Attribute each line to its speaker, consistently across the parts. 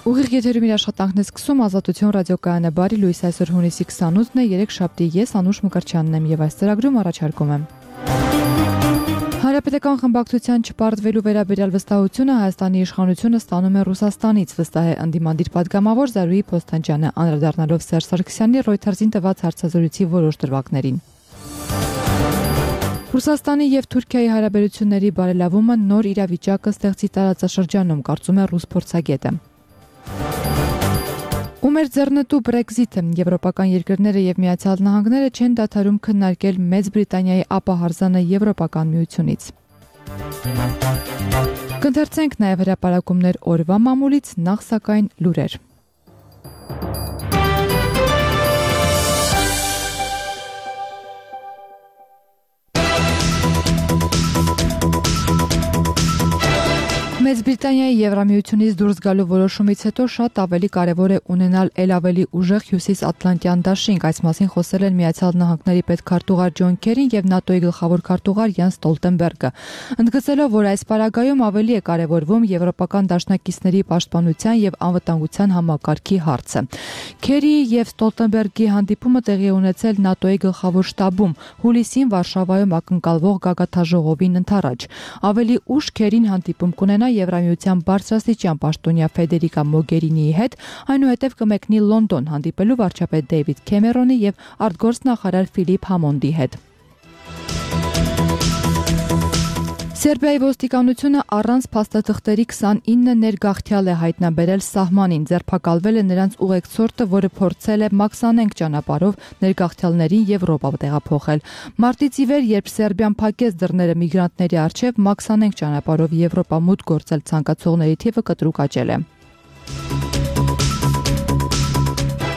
Speaker 1: Ուղիղ եթերում իր աշխատանքն է սկսում Ազատություն ռադիոկայանը բարի լույս այսօր հունիսի 28-ն է, 3 շաբթի, ես Անուշ Մկրտչյանն եմ եւ այս ծրագրում առաջարկում եմ Հանրապետական խմբակցության չպարտվելու վերաբերյալ վստահությունը Հայաստանի իշխանությունը ստանում է Ռուսաստանից, վստահ է ընդդիմադիր պատգամավոր Զարուհի Փոստանջյանը, անդրադառնալով Սերժ Սարգսյանի Reuters-ին տված հարցազրույցի որոշ դրվագներին։ Ռուսաստանի եւ Թուրքիայի հարաբերությունների բարելավումը նոր իրավիճակը ստեղծի տարածաշրջանում, կարծում է ռուս փորձագետը։ Ումեր ձեռնտու Brexit-ը եվրոպական երկրները եւ Միացյալ Նահանգները չեն դադարում քննարկել Մեծ Բրիտանիայի ապահարզանը Եվրոպական միությունից։ Կընթերցենք նաեւ հրապարակումներ օրվա մամուլից, նախ սակայն լուրեր։ Մեծ Բրիտանիայի Եվրամիությունից դուրս գալու որոշումից հետո շատ ավելի կարևոր է ունենալ ավելի ուժեղ հյուսիսատլանտյան դաշինք, այս մասին խոսել են Միացյալ Նահանգների պետքարտուղար Ջոն Քերին եւ ՆԱՏՕ-ի գլխավոր քարտուղար Յենս Ստոլտենբերգը, ընդգծելով, որ այս պարագայում ավելի է կարևորվում եվրոպական դաշնակիցների պաշտպանության եւ անվտանգության համակարգի հարցը։ Քերիի եւ Ստոլտենբերգի հանդիպումը տեղի ունեցել ՆԱՏՕ-ի գլխավոր շտաբում հուլիսին Վարշավայում ակնկալվող գագաթաժողովին ընդառաջ։ Ավելի ուշ Քերին հանդիպում կունենա Եվրամիության բարձրաստիճան պաշտոնյա Ֆեդերիկա Մոգերինիի հետ, այնուհետև կմեկնի Լոնդոն հանդիպելու վարչապետ Դեյվիդ Քեմերոնի եւ արտգործնախարար Ֆիլիպ Համոնդի հետ։ Սերբիայի ոստիկանությունը առանց փաստաթղթերի 29 ներգաղթյալ է հայտնաբերել սահմանին, ձերբակալվել է նրանց ուղեկցորդը, որը փորձել է մաքսանենգ ճանապարհով ներգաղթյալներին Եվրոպա տեղափոխել։ Մարտից ի վեր, երբ Սերբիան փակեց դռները միգրանտների առջև, մաքսանենգ ճանապարհով Եվրոպա մուտք գործել ցանկացողների թիվը կտրուկ աճել է։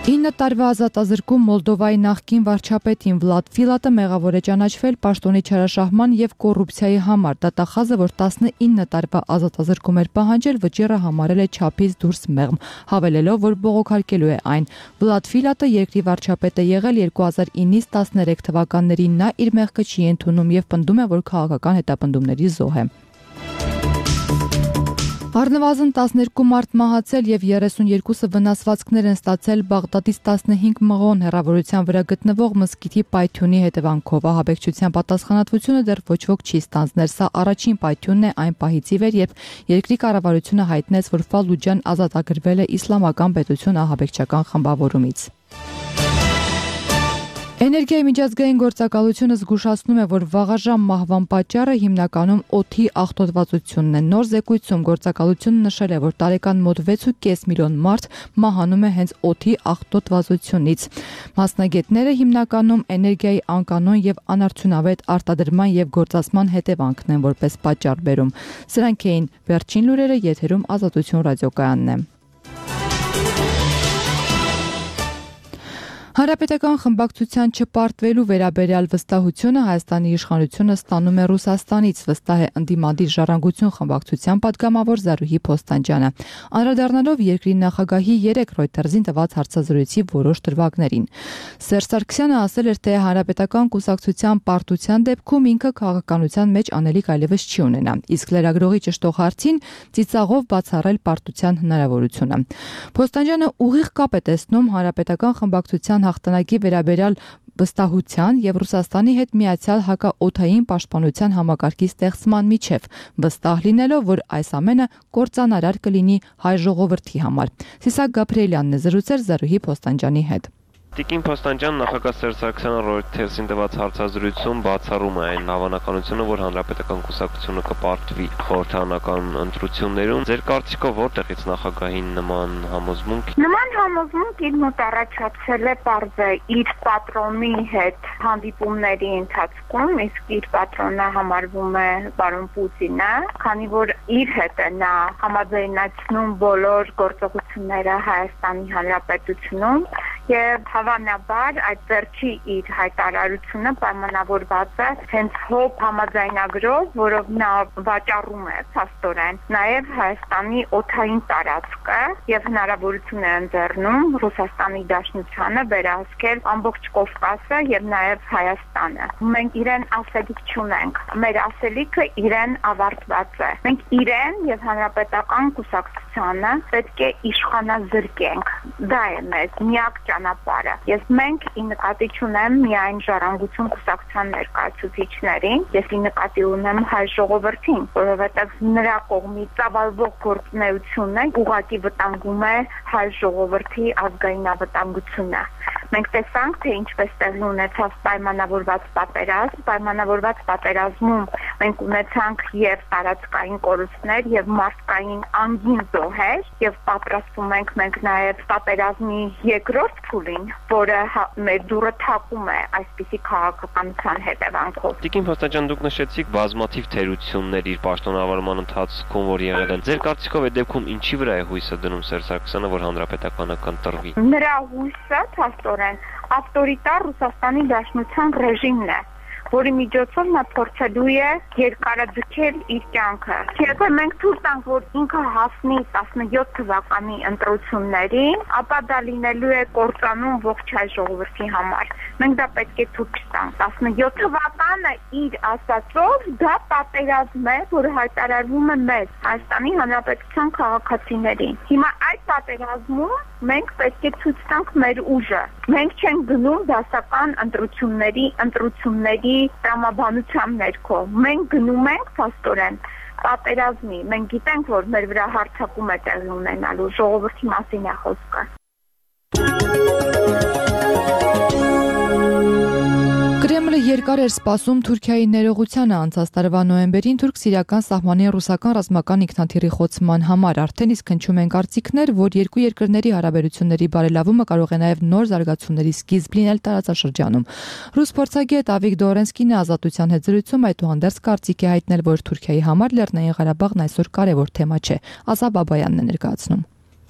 Speaker 1: 9 տարվա ազատազրկում Մոլդովայի նախկին վարչապետին Վլադ Ֆիլատը մեղավոր է ճանաչվել պաշտոնի չարաշահման եւ կոռուպցիայի համար։ Դատախազը, որ 19 տարվա ազատազրկում էր պահանջել, վճիռը համարել է չափից դուրս մեղմ, հավելելով, որ բողոքարկելու է այն։ Վլադ Ֆիլատը երկրի վարչապետ է եղել 2009-ից 13 թվականներին, նա իր մեղքը չի ընդունում եւ պնդում է, որ քաղաքական հետապնդումների զոհ է։ Առնվազն 12 մարդ մահացել եւ 32-ը վնասվածքներ են ստացել Բաղդադից 15 մղոն հեռավորության վրա գտնվող մզկիթի պայթյունի հետևանքով։ Ահաբեկչության պատասխանատվությունը դեռ ոչ ոք չի ստանձնել։ Սա առաջին պայթյունն է այն պահից ի վեր, երբ երկրի կառավարությունը հայտնեց, որ Ֆալուջան ազատագրվել է իսլամական պետություն ահաբեկչական խմբավորումից։ Էներգիայի միջազգային գործակալությունը զգուշացնում է, որ վաղաժամ մահվան պատճառը հիմնականում օդի աղտոտվածությունն է։ Նոր զեկույցում գործակալությունը նշել է, որ տարեկան մոտ 6.5 միլիոն մարդ մահանում է հենց օդի աղտոտվածությունից։ Մասնագետները հիմնականում էներգիայի անկանոն եւ անարդյունավետ արտադրման եւ գործածման հետևանքն են որպես պատճառ բերում։ Սրանք էին վերջին լուրերը, եթերում Ազատություն ռադիոկայանն է։ Հանրապետական խմբակցության չպարտվելու վերաբերյալ վստահությունը Հայաստանի իշխանությունը ստանում է Ռուսաստանից, վստահ է ընդդիմադիր Ժառանգություն խմբակցության պատգամավոր Զարուհի Փոստանջյանը, անդրադառնալով երկրի նախագահի 3 Reuters-ին տված հարցազրույցի որոշ դրվագներին։ Սերժ Սարգսյանը ասել էր, թե Հանրապետական կուսակցության պարտության դեպքում ինքը քաղաքականության մեջ անելիք այլևս չի ունենա, իսկ լրագրողի ճշտող հարցին ծիծաղով բացառել պարտության հնարավորությունը։ Փոստանջյանը ուղիղ կապ է տեսնում Հանրապետական խմբակցության հաղթանակի վերաբերյալ վստահության եւ Ռուսաստանի հետ միացյալ հակաօդային պաշտպանության համակարգի ստեղծման միջև, վստահ լինելով, որ այս ամենը կործանարար կլինի հայ ժողովրդի համար։ Սիսակ Գաբրիելյանն է զրուցել Զարուհի Փոստանջյանի հետ։
Speaker 2: Տիկին Փոստանջյան նախագահ Սերժ Սարգսյանը Reuters-ին տված հարցազրույցում բացառում է այն հավանականությունը, որ Հանրապետական կուսակցությունը կպարտվի խորհրդարանական ընտրություններում։ Ձեր կարծիքով որտեղից նախագահին նման համոզմունք։
Speaker 3: Նման համոզմունք իր մոտ առաջացել է պարզը իր պատրոնի հետ հանդիպումների ընթացքում, իսկ իր պատրոնը համարվում է պարոն Պուտինը, քանի որ իր հետ է նա համաձայնացնում բոլոր գործողությունները Հայաստանի Հանրապետությունում եւ հավանաբար այդ վերջի իր հայտարարությունը պայմանավորված է հենց ՀՕՊ համաձայնագրով, որով նա վաճառում է փաստորեն նաեւ Հայաստանի օդային տարածքը եւ հնարավորություն է ընձեռնում Ռուսաստանի Դաշնությանը վերահսկել ամբողջ Կովկասը եւ նաեւ Հայաստանը։ Մենք իրեն ասելիք չունենք։ Մեր ասելիքը իրեն ավարտված է։ Մենք իրեն եւ հանրապետական կուսակցությանը պետք է իշխանազրկենք։ Դա է մեզ միակ ճանապարհը։ Ես մենք ի նկատի չունեմ միայն Ժառանգություն կուսակցության ներկայացուցիչներին, ես ի նկատի ունեմ հայ ժողովրդին, որովհետեւ նրա կողմից ծավալվող գործունեությունը ուղղակի վտանգում է հայ ժողովրդի ազգային անվտանգությունը։ Մենք տեսանք, թե ինչպես տեղի ունեցավ պայմանավորված պատերազմ, պայմանավորված պատերազմում մենք ունեցանք եւ տարածքային կորուստներ եւ մարդկային անգին զոհեր եւ պատրաստվում ենք մենք նաեւ պատերազմի երկրորդ փուլին, որը մեր դուրը թակում է այսպիսի քաղաքականության հետևանքով։
Speaker 2: Տիկին Փոստանջյան, դուք նշեցիք բազմաթիվ թերություններ իր պաշտոնավարման ընթացքում, որ եղել են։ Ձեր կարծիքով այդ դեպքում ինչի վրա է հույսը դնում Սերժ Սարգսյանը, որ հանրապետականը կընտրվի։
Speaker 3: Նրա հույսը փաստորեն ավտորիտար Ռուսաստանի Դաշնության ռեժիմն է, որի միջոցով նա փորձելու է երկարաձգել իր կյանքը։ Եթե մենք թույլ տանք, որ ինքը հասնի 17 թվականի ընտրություններին, ապա դա լինելու է կործանում ողջ հայ ժողովրդի համար։ Մենք դա պետք է թույլ չտանք։ 17 թվականը իր ասածով դա պատերազմ է, որը հայտարարվում է մեզ, Հայաստանի Հանրապետության քաղաքացիներին։ Հիմա այդ պատերազմում մենք պետք է ցույց տանք մեր ուժը։ Մենք չենք գնում դասական ընտրությունների տրամաբանության ներքո։ Մենք գնում ենք փաստորեն պատերազմի։ Մենք գիտենք, որ մեր վրա հարձակում է տեղի ունենալու, ժողովրդի մասին է խոսքը։
Speaker 1: Կրեմլը երկար էր սպասում Թուրքիայի ներողությանը անցած տարվա նոյեմբերին թուրք-սիրիական սահմանին ռուսական ռազմական ինքնաթիռի խոցման համար։ Արդեն իսկ հնչում են կարծիքներ, որ երկու երկրների հարաբերությունների բարելավումը կարող է նաև նոր զարգացումների սկիզբ լինել տարածաշրջանում։ Ռուս փորձագետ Ավիկ Դորենսկին ազատության հետ զրույցում այդուհանդերձ կարծիք է հայտնել, որ Թուրքիայի համար Լեռնային Ղարաբաղն այսօր կարևոր թեմա չէ։ Ազա Բաբայանն է ներկայացնում։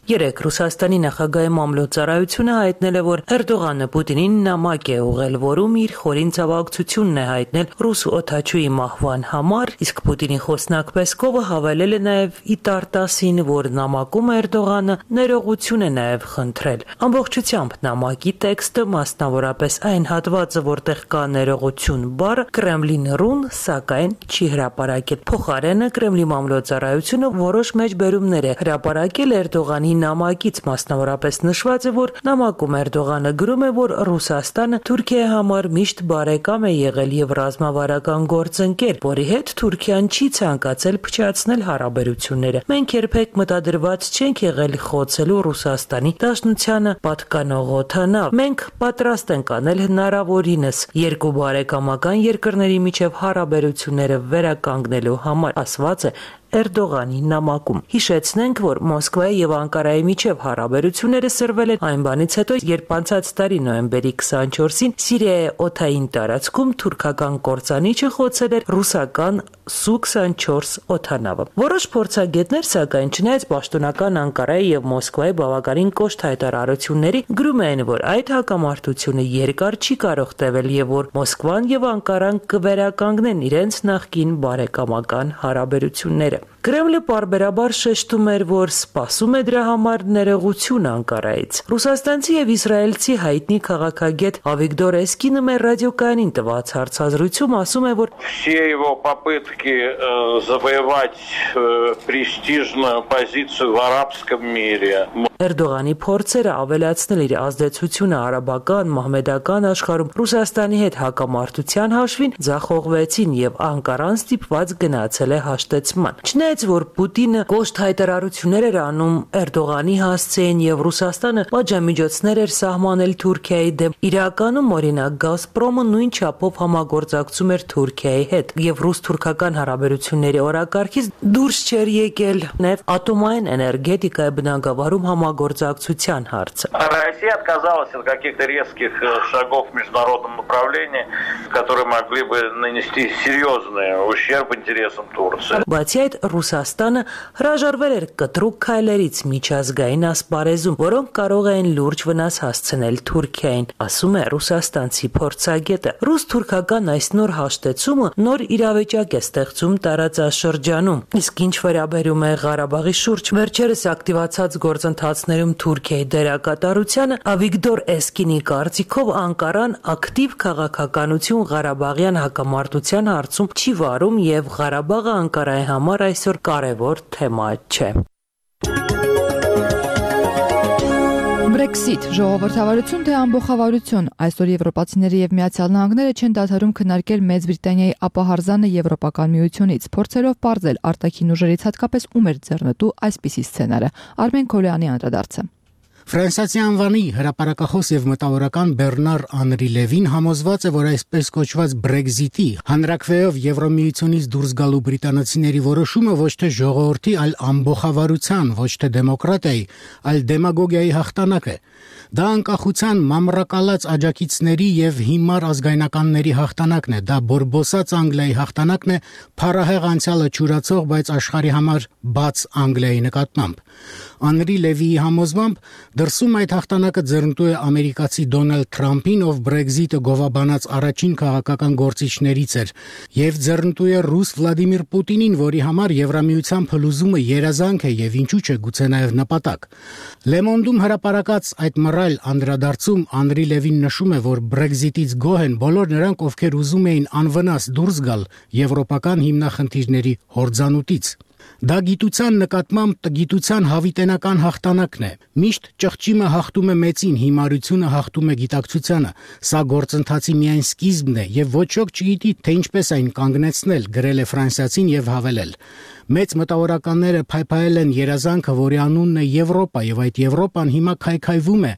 Speaker 4: Երեք Ռուսաստանի նախագահի մամլոյցարայությունը հայտնել է, որ Էրդողանը Պուտինին նամակ է ուղղել, որում իր խորին ցավակցությունն է հայտնել ռուս օդաչուի մահվան համար, իսկ Պուտինի խոսնակ Պեսկովը հավելել է նաև Իտարտասին, որ նամակում Էրդողանը ներողություն է նաև խնդրել։ Ամբողջությամբ նամակի տեքստը, մասնավորապես այն հատվածը, որտեղ կա ներողություն բառը, Կրեմլին ռուն, սակայն չի հրապարակել։ Փոխարենը Կրեմլի մամլոյցարայությունը որոշ մեջբերումներ է հրապարակել Էրդողանի նամակից, մասնավորապես նշված է, որ նամակում Էրդողանը գրում է, որ Ռուսաստանը Թուրքիայի համար միշտ բարեկամ է եղել եւ ռազմավարական գործընկեր, որի հետ Թուրքիան չի ցանկացել փչացնել հարաբերությունները։ Մենք երբեք մտադրված չենք եղել խոցելու Ռուսաստանի Դաշնությանը պատկանող օդանավ։ Մենք պատրաստ ենք անել հնարավորինս երկու բարեկամական երկրների միջև հարաբերությունները վերականգնելու համար, ասված է Էրդողանի նամակում։ Հիշեցնենք, որ Մոսկվայի եւ Անկարայի միջև հարաբերությունները սրվել են այն բանից հետո, երբ անցած տարի նոյեմբերի 24-ին Սիրիայի օդային տարածքում թուրքական կործանիչը խոցել էր ռուսական Սու-24 օդանավը։ Որոշ փորձագետներ, սակայն, չնայած պաշտոնական Անկարայի եւ Մոսկվայի բավականին կոշտ հայտարարությունների, գրում են, որ այդ հակամարտությունը երկար չի կարող տևել եւ որ Մոսկվան եւ Անկարան կվերականգնեն իրենց նախկին բարեկամական հարաբերությունները։ Կրեմլը պարբերաբար շեշտում էր, որ սպասում է դրա համար ներողություն Անկարայից։ Ռուսաստանցի եւ իսրայելցի հայտնի քաղաքագետ Ավիկ Դորենսկինը մեր ռադիոկայանին տված հարցազրույցում ասում է, որ
Speaker 5: все его попытки завоевать престижную позицию в арабском мире
Speaker 4: Էրդողանի փորձերը ավելացնել իր ազդեցությունը արաբական, մահմեդական աշխարհում Ռուսաստանի հետ հակամարտության հաշվին ձախողվեցին եւ Անկարան ստիպված գնացել է հաշտեցման։ Չնայած որ Պուտինը կոշտ հայտարարություններ էր անում Էրդողանի հասցեին եւ Ռուսաստանը պատժամիջոցներ էր սահմանել Թուրքիայի դեմ, իրականում օրինակ Գազպրոմը նույն չափով համագործակցում էր Թուրքիայի հետ եւ ռուս-թուրքական հարաբերությունների օրակարգից դուրս չէր եկել, նաեւ ատոմային էներգետիկայի բնագավառում համագործակցության հարցը։
Speaker 5: Россия отказалась от каких-то резких шагов в международном направлении, которые могли бы нанести серьезный ущерб интересам Турции.
Speaker 4: Բացի այդ, Ռուսաստանը հրաժարվել էր կտրուկ քայլերից միջազգային ասպարեզում, որոնք կարող էին լուրջ վնաս հասցնել Թուրքիային, ասում է ռուսաստանցի փորձագետը։ Ռուս-թուրքական այս նոր հաշտեցումը նոր իրավիճակ է ստեղծում տարածաշրջանում։ Իսկ ինչ վերաբերում է Ղարաբաղի շուրջ վերջերս ակտիվացած գործընթացներում Թուրքիայի դերակատարությանը, Ավիգդոր Էսկինի կարծիքով Անկարան ակտիվ քաղաքականություն Ղարաբաղյան հակամարտության հարցում չի վարում եւ Ղարաբաղը Անկարայի համար այսօր կարևոր թեմա չէ։
Speaker 1: Brexit, ժողովրդավարություն թե ամբողջավարություն, այսօր եվրոպացիները եւ Միացյալ Նահանգները չեն դադարում քննարկել Մեծ Բրիտանիայի ապահարզանը Եվրոպական միությունից, փորձելով պարզել արտաքին ուժերից հատկապես ում էր ձեռնտու այսպիսի սցենարը։ Արմեն Քոլյանի անդրադարձը։
Speaker 6: Ֆրանսիացի անվանի հրապարակախոս եւ մտավորական Բեռնար Անրի Լևին համոզված է, որ այսպես կոչված Brexit-ի հանրակրվեով Եվրոմիությունից դուրս գալու բրիտանացիների որոշումը ոչ թե ժողովրդի, այլ ամբողջավարության, ոչ թե դեմոկրատիայի, այլ դեմագոգիայի հաղթանակ է։ Դա անկախության մամրակալած աջակիցների եւ հիմար ազգայնականների հաղթանակն է, դա բորբոսած Անգլիայի հաղթանակն է, փառահեղ անցյալը ճուրացող, բայց աշխարհի համար բաց Անգլիայի նկատմամբ։ Անրի Լևիի համոզմամբ դրսում այդ հաղթանակը ձեռնտու է ամերիկացի Դոնալդ Թրամփին, ով Brexit-ը գովաբանած առաջին քաղաքական գործիչներից էր, եւ ձեռնտու է ռուս Վլադիմիր Պուտինին, որի համար Եվրամիության փլուզումը երազանք է եւ ինչու՞ չէ գուցե նաեւ նպատակ։ Le Monde-ում հրապարակած այդ մռայլ անդրադարձում Անրի Լևին նշում է, որ Brexit-ից գոհ են բոլոր նրանք, ովքեր ուզում էին անվնաս դուրս գալ եվրոպական հիմնախնդիրների հորձանուտից։ Դա գիտության նկատմամբ տգիտության հավիտենական հաղթանակն է։ Միշտ ճղճիմը հաղթում է մեծին, հիմարությունը հաղթում է գիտակցությանը։ Սա գործընթացի միայն սկիզբն է եւ ոչ ոք չգիտի, թե ինչպես այն կանգնեցնել, գրել է ֆրանսիացին եւ հավելել։ Մեծ մտավորականները փայփայել են երազանքը, որի անունն է Եվրոպա, եւ այդ Եվրոպան հիմա քայքայվում է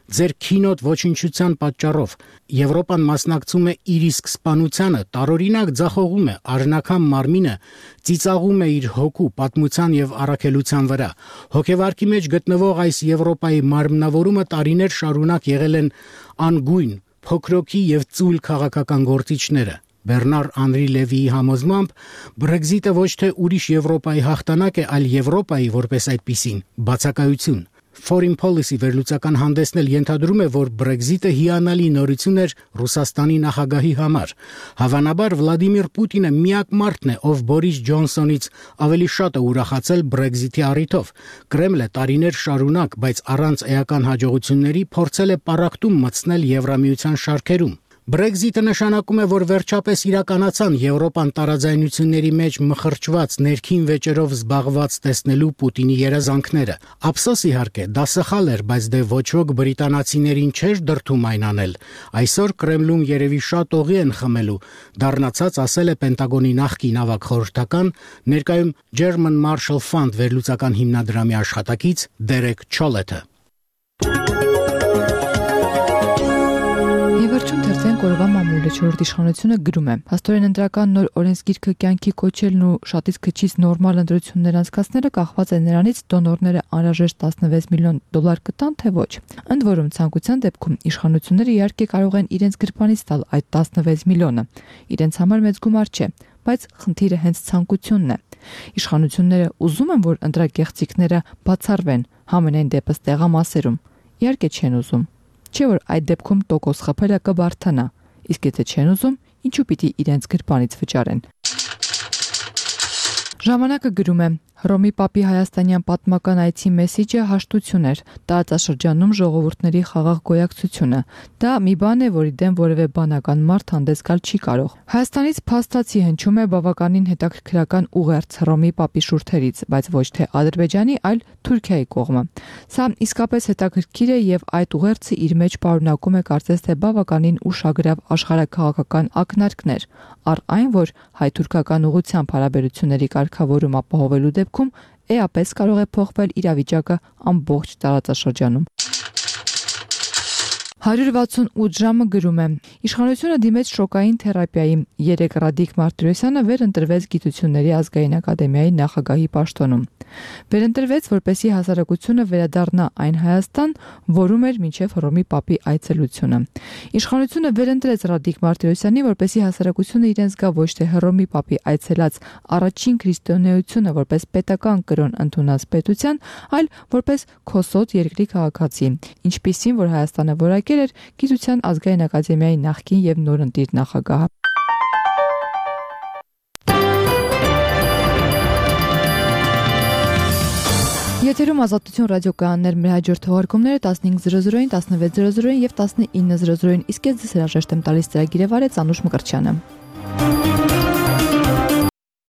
Speaker 6: ձեր քինոտ ոչնչության պատճառով։ Եվրոպան մասնակցում է իր իսկ սպանությանը, տարօրինակ ձախողում է, արժանական մարմինը ծիծաղում է իր հոգու, պատմության եւ առաքելության վրա։ Հոգեվարքի մեջ գտնվող այս Եվրոպայի մարմնավորումը տարիներ շարունակ եղել են անգույն, փոքրոքի եւ ծույլ քաղաքական գործիչները։ Բեռնար Անրի Լևիի համոզմամբ Brexit-ը ոչ թե ուրիշ Եվրոպայի հաղթանակ է, այլ Եվրոպայի որպես այդպիսին բացակայություն։ Foreign Policy վերլուծական հանդեսն էլ ենթադրում է, որ Brexit-ը հիանալի նորություն էր Ռուսաստանի նախագահի համար։ Հավանաբար Վլադիմիր Պուտինը միակ մարդն է, ով Բորիս Ջոնսոնից ավելի շատ է ուրախացել Brexit-ի առիթով։ Կրեմլը տարիներ շարունակ, բայց առանց էական հաջողությունների փորձել է պառակտում մտցնել Եվրամիության շարքերում։ Brexit-ը նշանակում է, որ վերջապես իրականացան Եվրոպան տարաձայնությունների մեջ մխրճված ներքին վեճերով զբաղված տեսնելու Պուտինի երազանքները։ Ափսոս իհարկե, դա սխալ էր, բայց դե ոչ ոք բրիտանացիներին չէր դրդում այն անել։ Այսօր Կրեմլում երևի շատ օղի են խմելու, դառնացած ասել է Պենտագոնի նախկին ավագ խորհրդական, ներկայում German Marshall Fund վերլուծական հիմնադրամի աշխատակից Դերեկ Չոլեթը։
Speaker 1: Եվերջում թերթեն կորովա մամուլը չորրորդ իշխանությունը գրում է. Փաստորեն ընտրական նոր օրենսգիրքը կյանքի կոչելն ու շատից քչից նորմալ ընտրություններ անցկացնելը կախված է նրանից դոնորները անհրաժեշտ $16 միլիոն կտան, թե ոչ։ Ընդ որում ցանկության դեպքում իշխանությունները իհարկե կարող են իրենց գրպանից տալ այդ 16 միլիոնը։ Իրենց համար մեծ գումար չէ, բայց խնդիրը հենց ցանկությունն է։ Իշխանությունները ուզում են, որ ընտրագեղձիկները բացառվեն, համենայն դեպս տեղամասերում։ Իհարկե չեն ուզում։ Չէ՞ որ այդ դեպքում տոկոս խփելը կբարթանա, իսկ եթե չեն ուզում, ինչու պիտի իրենց գրպանից վճարեն։ Ժամանակը գրում է. Հռոմի Պապի հայաստանյան պատմական այցի մեսիջը հաշտություն էր, տարածաշրջանում ժողովուրդների խաղաղ գոյակցությունը։ Դա մի բան է, որի դեմ որևէ բանական մարդ հանդես գալ չի կարող։ Հայաստանից փաստացի հնչում է բավականին հետաքրքրական ուղերձ Հռոմի Պապի շուրթերից, բայց ոչ թե Ադրբեջանի, այլ Թուրքիայի կողմը։ Սա իսկապես հետաքրքիր է եւ այդ ուղերձը իր մեջ պարունակում է կարծես թե բավականին ուշագրավ աշխարհաքաղաքական ակնարկներ, առ այն, որ հայ-թուրքական ուղղությամբ հարաբերությունների կարգավորում ապահովելու դեպքում էապես կարող է փոխվել իրավիճակը ամբողջ տարածաշրջանում։ 168 ժամը գրում է. Իշխանությունը դիմեց շոկային թերապիայի։ 3 Ռադիկ Մարտիրոսյանը վերընտրվեց Գիտությունների ազգային ակադեմիայի նախագահի պաշտոնում։ Վերընտրվեց, որպեսզի հասարակությունը վերադառնա այն Հայաստան, որում էր մինչև Հռոմի Պապի այցելությունը։ Իշխանությունը վերընտրեց Ռադիկ Մարտիրոսյանին, որպեսզի հասարակությունը իրեն զգա ոչ թե Հռոմի Պապի այցելած առաջին քրիստոնեությունը որպես պետական կրոն ընդունած պետության, այլ որպես քոսոտ երկրի քաղաքացի, ինչպիսին որ Հայաստանը որակել էր Գիտության ազգային ակադեմիայի նախկին եւ նորընտիր նախագահը։ Եթերում Ազատություն ռադիոկայաններ, մեր հաջորդ թողարկումները 15:00-ին, 16:00-ին եւ 19:00-ին, իսկ ես ձեզ հրաժեշտ եմ տալիս ծրագիրը վարեց Անուշ Մկրտչյանը։